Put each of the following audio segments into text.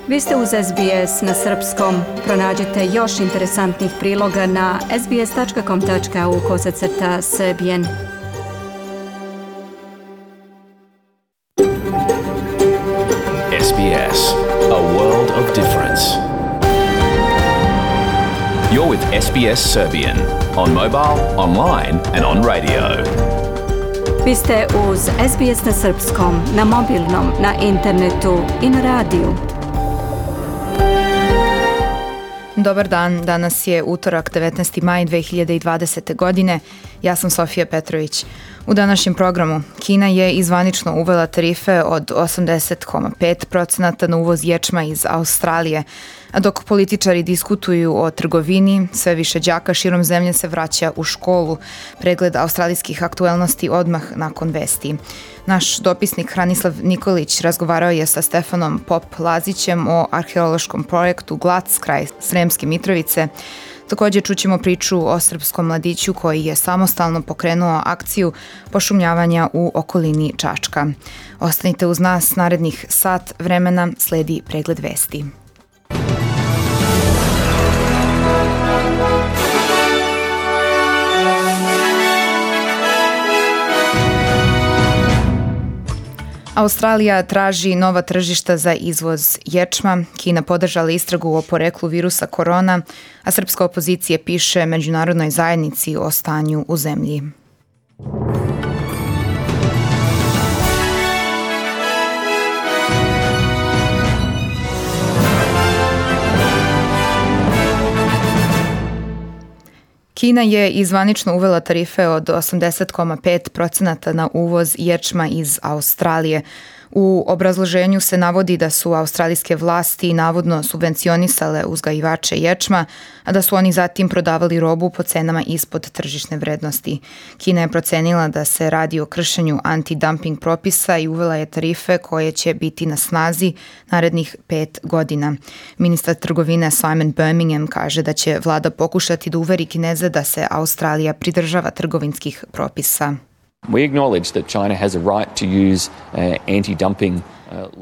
Vi ste uz SBS na srpskom. Pronađite još interesantnih priloga na sbs.com.au/Serbian. SBS, a world of difference. You're with SBS Serbian on mobile, online and on radio. Vi ste uz SBS na srpskom, na mobilnom, na internetu i na radiju. Dobar dan, danas je utorak 19. maj 2020. godine. Ja sam Sofija Petrović. U današnjem programu Kina je izvanično uvela tarife od 80,5% na uvoz ječma iz Australije, a dok političari diskutuju o trgovini, sve više đaka širom zemlje se vraća u školu. Pregled australijskih aktuelnosti odmah nakon vesti. Naš dopisnik Hranislav Nikolić razgovarao je sa Stefanom Pop-Lazićem o arheološkom projektu Glac kraj Sremske Mitrovice. Također čućemo priču o srpskom mladiću koji je samostalno pokrenuo akciju pošumljavanja u okolini Čačka. Ostanite uz nas, narednih sat vremena sledi pregled vesti. Australija traži nova tržišta za izvoz ječma, Kina podržala istragu o poreklu virusa korona, a srpska opozicija piše međunarodnoj zajednici o stanju u zemlji. Kina je izvanično uvela tarife od 80,5% na uvoz ječma iz Australije. U obrazloženju se navodi da su australijske vlasti navodno subvencionisale uzgajivače ječma, a da su oni zatim prodavali robu po cenama ispod tržišne vrednosti. Kina je procenila da se radi o kršenju anti-dumping propisa i uvela je tarife koje će biti na snazi narednih 5 godina. Ministar trgovine Simon Birmingham kaže da će vlada pokušati da uveri Kineze da se Australija pridržava trgovinskih propisa. We acknowledge that China has a right to use anti-dumping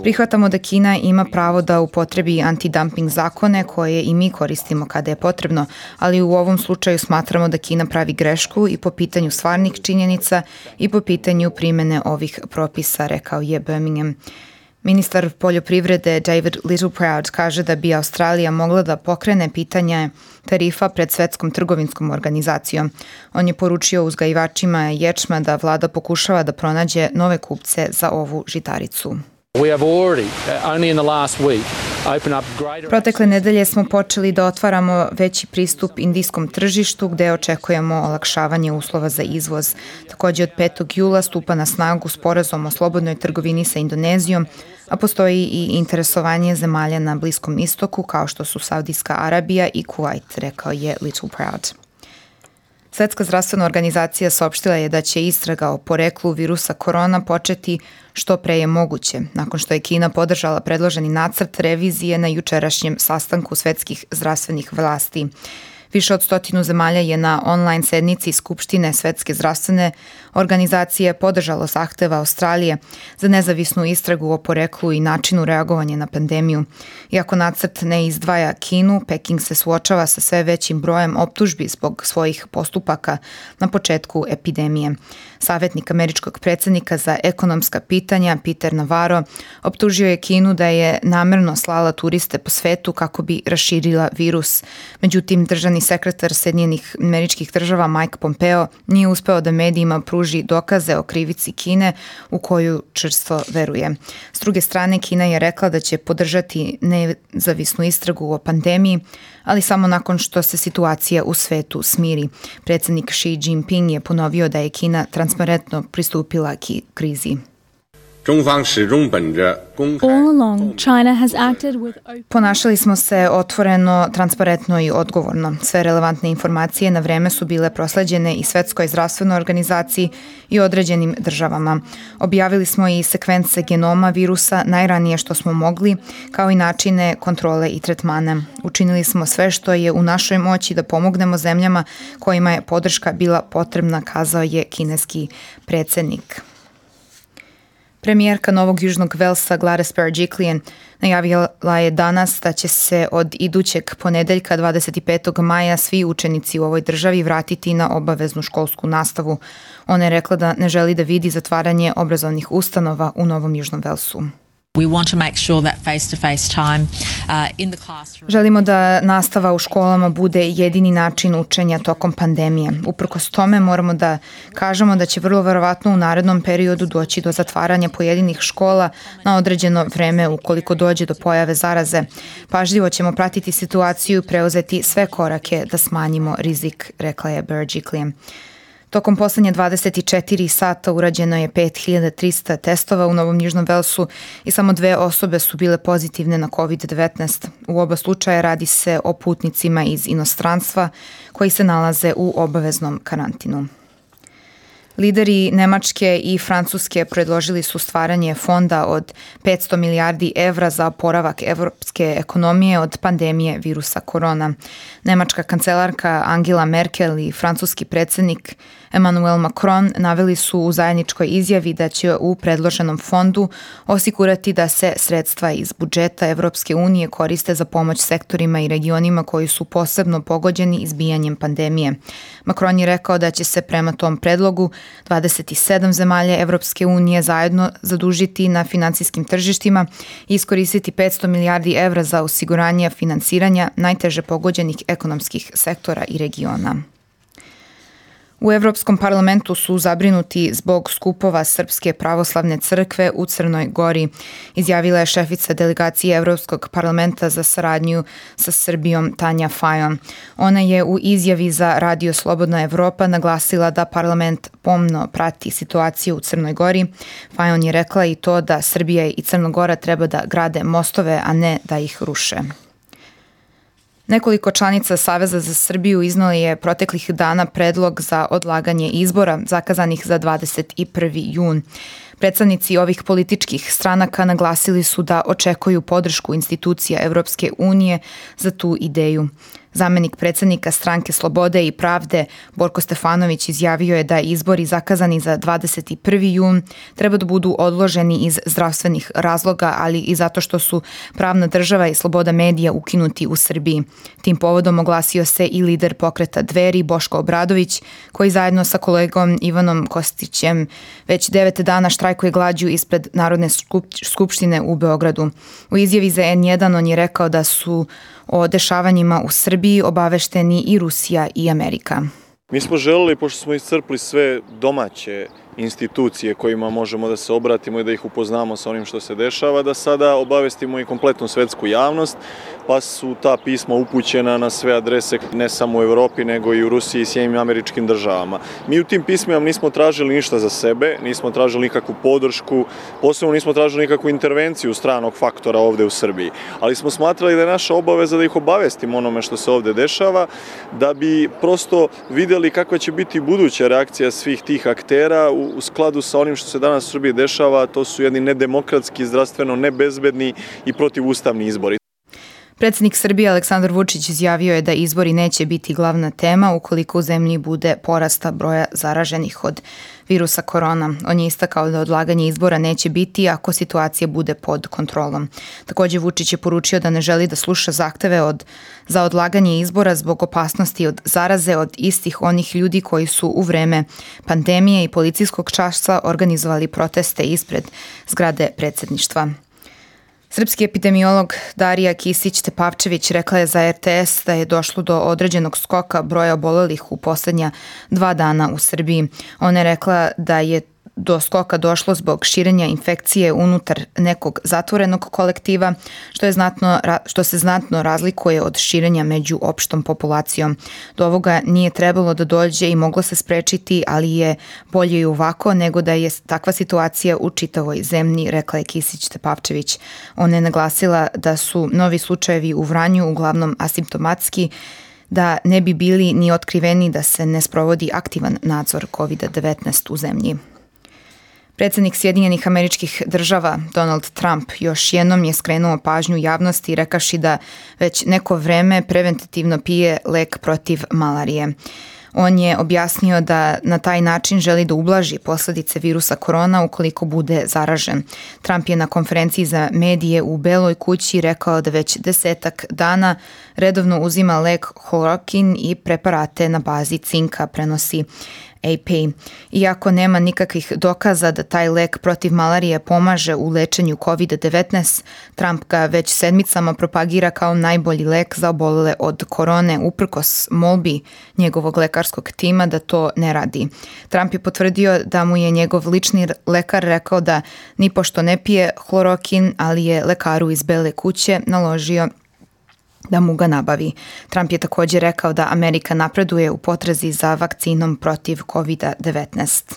Prihvatamo da Kina ima pravo da upotrebi anti-dumping zakone koje i mi koristimo kada je potrebno, ali u ovom slučaju smatramo da Kina pravi grešku i po pitanju stvarnih činjenica i po pitanju primene ovih propisa, rekao je Birmingham. Ministar poljoprivrede David Littleproud kaže da bi Australija mogla da pokrene pitanje tarifa pred Svetskom trgovinskom organizacijom. On je poručio uzgajivačima ječma da vlada pokušava da pronađe nove kupce za ovu žitaricu. Protekle nedelje smo počeli da otvaramo veći pristup indijskom tržištu gde očekujemo olakšavanje uslova za izvoz. Također od 5. jula stupa na snagu sporazum o slobodnoj trgovini sa Indonezijom, a postoji i interesovanje zemalja na Bliskom istoku kao što su Saudijska Arabija i Kuvajt, rekao je Littleproud. Svetska zdravstvena organizacija saopštila je da će istraga o poreklu virusa korona početi što pre je moguće, nakon što je Kina podržala predloženi nacrt revizije na jučerašnjem sastanku svetskih zdravstvenih vlasti. Više od 100 zemalja je na online sednici Skupštine Svetske zdravstvene organizacije podržalo zahteva Australije za nezavisnu istragu o poreklu i načinu reagovanja na pandemiju. Iako nacrt ne izdvaja Kinu, Peking se suočava sa sve većim brojem optužbi zbog svojih postupaka na početku epidemije. Savjetnik američkog predsjednika za ekonomska pitanja Peter Navarro optužio je Kinu da je namerno slala turiste po svetu kako bi raširila virus. Međutim, državni sekretar Sjedinjenih Američkih Država Mike Pompeo nije uspeo da medijima pruži dokaze o krivici Kine u koju čvrsto veruje. S druge strane, Kina je rekla da će podržati nezavisnu istragu o pandemiji, ali samo nakon što se situacija u svetu smiri. Predsjednik Xi Jinping je ponovio da je Kina transparentno pristupila krizi. Ponašali smo se otvoreno, transparentno i odgovorno. Sve relevantne informacije na vreme su bile prosleđene i Svetskoj zdravstvenoj organizaciji i određenim državama. Objavili smo i sekvence genoma virusa najranije što smo mogli, kao i načine kontrole i tretmana. Učinili smo sve što je u našoj moći da pomognemo zemljama kojima je podrška bila potrebna, kazao je kineski predsjednik. Premijerka Novog Južnog Velsa Gladys Berejiklian najavila je danas da će se od idućeg ponedeljka 25. maja svi učenici u ovoj državi vratiti na obaveznu školsku nastavu. Ona je rekla da ne želi da vidi zatvaranje obrazovnih ustanova u Novom Južnom Velsu. We want to make sure that face-to-face time in the classroom. Želimo da nastava u školama bude jedini način učenja tokom pandemije. Uprkos tome moramo da kažemo da će vrlo verovatno u narednom periodu doći do zatvaranja pojedinih škola na određeno vreme ukoliko dođe do pojave zaraze. Pažljivo ćemo pratiti situaciju i preuzeti sve korake da smanjimo rizik, rekla je Berejiklian. Tokom poslednje 24 sata urađeno je 5300 testova u Novom Južnom Velsu i samo 2 osobe su bile pozitivne na COVID-19. U oba slučaja radi se o putnicima iz inostranstva koji se nalaze u obaveznom karantinu. Lideri Nemačke i Francuske predložili su stvaranje fonda od 500 milijardi evra za oporavak evropske ekonomije od pandemije virusa korona. Nemačka kancelarka Angela Merkel i francuski predsjednik Emmanuel Macron naveli su u zajedničkoj izjavi da će u predloženom fondu osigurati da se sredstva iz budžeta Evropske unije koriste za pomoć sektorima i regionima koji su posebno pogođeni izbijanjem pandemije. Macron je rekao da će se prema tom predlogu 27 zemalja Evropske unije zajedno zadužiti na finansijskim tržištima i iskoristiti 500 milijardi evra za osiguranje finansiranja najteže pogođenih ekonomskih sektora i regiona. U Evropskom parlamentu su zabrinuti zbog skupova Srpske pravoslavne crkve u Crnoj Gori, izjavila je šefica delegacije Evropskog parlamenta za saradnju sa Srbijom Tanja Fajon. Ona je u izjavi za Radio Slobodna Evropa naglasila da parlament pomno prati situaciju u Crnoj Gori. Fajon je rekla i to da Srbija i Crna Gora treba da grade mostove, a ne da ih ruše. Nekoliko članica Saveza za Srbiju iznali je proteklih dana predlog za odlaganje izbora zakazanih za 21. jun. Predstavnici ovih političkih stranaka naglasili su da očekuju podršku institucija Evropske unije za tu ideju. Zamenik predsjednika Stranke Slobode i pravde Borko Stefanović izjavio je da izbori zakazani za 21. jun treba da budu odloženi iz zdravstvenih razloga, ali i zato što su pravna država i sloboda medija ukinuti u Srbiji. Tim povodom oglasio se i lider pokreta Dveri Boško Obradović, koji zajedno sa kolegom Ivanom Kostićem već 9 dana štrajkuje glađu ispred Narodne skupštine u Beogradu. U izjavi za N1 on je rekao da su o dešavanjima u Srbiji obavešteni i Rusija i Amerika. Mi smo želeli, pošto smo iscrpli sve domaće institucije kojima možemo da se obratimo i da ih upoznamo sa onim što se dešava, da sada obavestimo i kompletnu svetsku javnost, pa su ta pisma upućena na sve adrese ne samo u Evropi, nego i u Rusiji i Sjedinjenim Američkim Državama. Mi u tim pismima nismo tražili ništa za sebe, nismo tražili nikakvu podršku, posebno nismo tražili nikakvu intervenciju stranog faktora ovde u Srbiji, ali smo smatrali da je naša obaveza da ih obavestimo onome što se ovde dešava, da bi prosto videli kakva će biti buduća reakcija svih tih aktera u skladu sa onim što se danas u Srbiji dešava. To su jedni nedemokratski, zdravstveno nebezbedni i protivustavni izbori. Predsjednik Srbije Aleksandar Vučić izjavio je da izbori neće biti glavna tema ukoliko u zemlji bude porasta broja zaraženih od virusa korona. On je istakao da odlaganje izbora neće biti ako situacija bude pod kontrolom. Također Vučić je poručio da ne želi da sluša zahteve za odlaganje izbora zbog opasnosti od zaraze od istih onih ljudi koji su u vreme pandemije i policijskog časa organizovali proteste ispred zgrade predsjedništva. Srpski epidemiolog Darija Kisić-Tepavčević rekla je za RTS da je došlo do određenog skoka broja obolelih u posljednja 2 dana u Srbiji. Ona je rekla da je do skoka došlo zbog širenja infekcije unutar nekog zatvorenog kolektiva, što se znatno razlikuje od širenja među opštom populacijom. Do ovoga nije trebalo da dođe i moglo se sprečiti, ali je bolje i ovako nego da je takva situacija u čitavoj zemlji, rekla je Kisić-Tepavčević. Ona je naglasila da su novi slučajevi u Vranju uglavnom asimptomatski, da ne bi bili ni otkriveni da se ne sprovodi aktivan nadzor COVID-19 u zemlji. Predsjednik Sjedinjenih Američkih Država Donald Trump još jednom je skrenuo pažnju javnosti rekavši da već neko vreme preventativno pije lek protiv malarije. On je objasnio da na taj način želi da ublaži posledice virusa korona ukoliko bude zaražen. Trump je na konferenciji za medije u Beloj kući rekao da već 10 dana redovno uzima lek hlorokin i preparate na bazi cinka, prenosi AP. Iako nema nikakvih dokaza da taj lek protiv malarije pomaže u lečenju COVID-19, Trump ga već sedmicama propagira kao najbolji lek za obolele od korone, uprkos molbi njegovog lekarskog tima da to ne radi. Trump je potvrdio da mu je njegov lični lekar rekao da nipošto ne pije hlorokin, ali je lekaru iz Bele kuće naložio da mu ga nabavi. Trump je također rekao da Amerika napreduje u potrazi za vakcinom protiv COVID-19.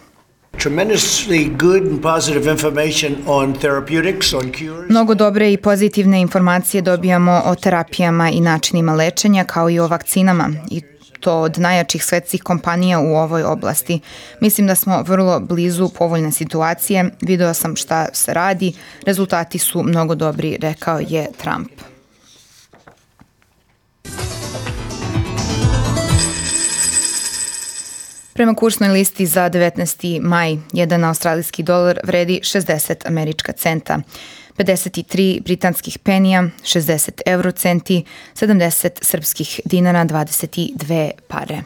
Mnogo dobre i pozitivne informacije dobijamo o terapijama i načinima lečenja, kao i o vakcinama, i to od najjačih svetskih kompanija u ovoj oblasti. Mislim da smo vrlo blizu povoljne situacije, video sam šta se radi, rezultati su mnogo dobri, rekao je Trump. Prema kursnoj listi za 19. maj, jedan australijski dolar vredi 60 američka centa, 53 britanskih penija, 60 eurocenti, 70 srpskih dinara, 22 pare.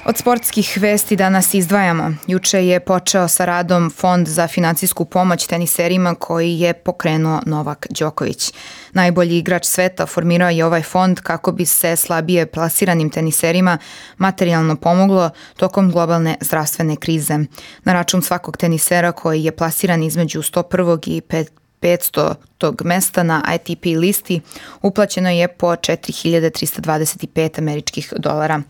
Od sportskih vesti danas izdvajamo. Juče je počeo sa radom Fond za finansijsku pomoć teniserima koji je pokrenuo Novak Đoković. Najbolji igrač sveta formirao je ovaj fond kako bi se slabije plasiranim teniserima materijalno pomoglo tokom globalne zdravstvene krize. Na račun svakog tenisera koji je plasiran između 101. i 500. mesta na ATP listi uplaćeno je po 4.325 američkih dolara.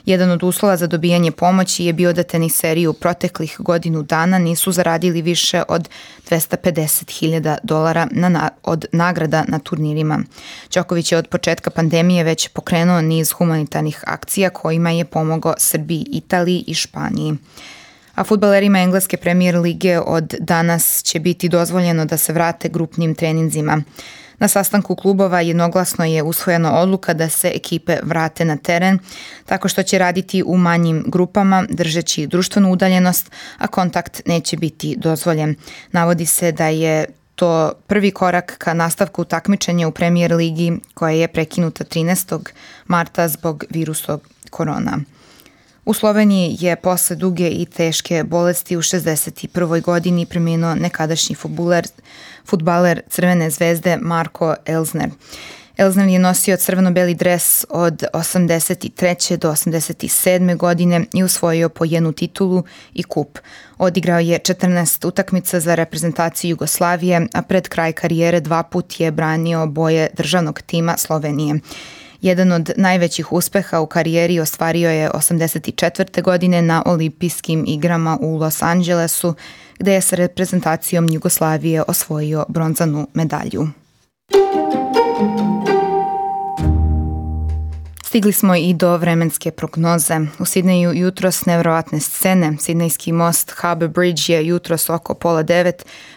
Jedan od uslova za dobijanje pomoći je bio da teniseri u proteklih godinu dana nisu zaradili više od $250.000 od nagrada na turnirima. Đoković je od početka pandemije već pokrenuo niz humanitarnih akcija kojima je pomogao Srbiji, Italiji i Španiji. A fudbalerima Engleske premijer lige od danas će biti dozvoljeno da se vrate grupnim treninzima. Na sastanku klubova jednoglasno je usvojena odluka da se ekipe vrate na teren, tako što će raditi u manjim grupama, držeći društvenu udaljenost, a kontakt neće biti dozvoljen. Navodi se da je to prvi korak ka nastavku takmičenja u Premier ligi koja je prekinuta 13. marta zbog virusa korona. U Sloveniji je posle duge i teške bolesti u 61. godini preminuo nekadašnji fudbaler Crvene zvezde Marko Elsner. Elsner je nosio crveno-beli dres od 83. do 87. godine i osvojio po jednu titulu i kup. Odigrao je 14 utakmica za reprezentaciju Jugoslavije, a pred kraj karijere 2 put je branio boje državnog tima Slovenije. Jedan od najvećih uspeha u karijeri ostvario je 84. godine na olimpijskim igrama u Los Angelesu, gde je sa reprezentacijom Jugoslavije osvojio bronzanu medalju. Stigli smo i do vremenske prognoze. U Sidneju jutros nevjerovatne scene. Sidnejski most Harbour Bridge je jutros oko 8:30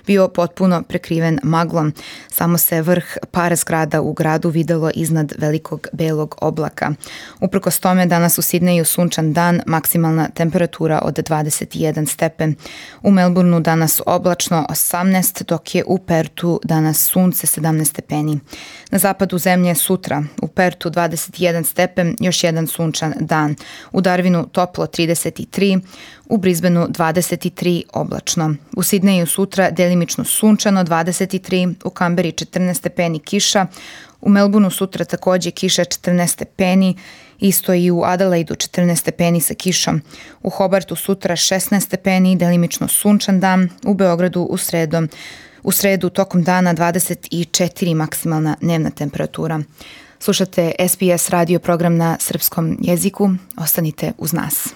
bio potpuno prekriven maglom. Samo se vrh par zgrada u gradu videlo iznad velikog belog oblaka. Uprkos tome danas u Sidneju sunčan dan, maksimalna temperatura od 21 stepen. U Melbourneu danas oblačno 18, dok je u Pertu danas sunce 17 stepeni. Na zapadu zemlje sutra u Pertu 21 stepen, još jedan sunčan dan. U Darwinu toplo 33, u Brisbaneu 23 oblačno. U Sidneju sutra delimično sunčano 23, u Kamberi 14 stepeni kiša, u Melbourneu sutra takođe kiša 14 stepeni, isto i u Adelaidu 14 stepeni sa kišom. U Hobartu sutra 16 stepeni, delimično sunčan dan, u Beogradu u sredu tokom dana 24 maksimalna dnevna temperatura. Slušate SBS radio program na srpskom jeziku. Ostanite uz nas.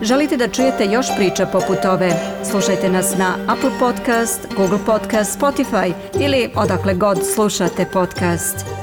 Želite da čujete još priča poput ove? Slušajte nas na Apple Podcast, Google Podcast, Spotify ili odakle god slušate podcast.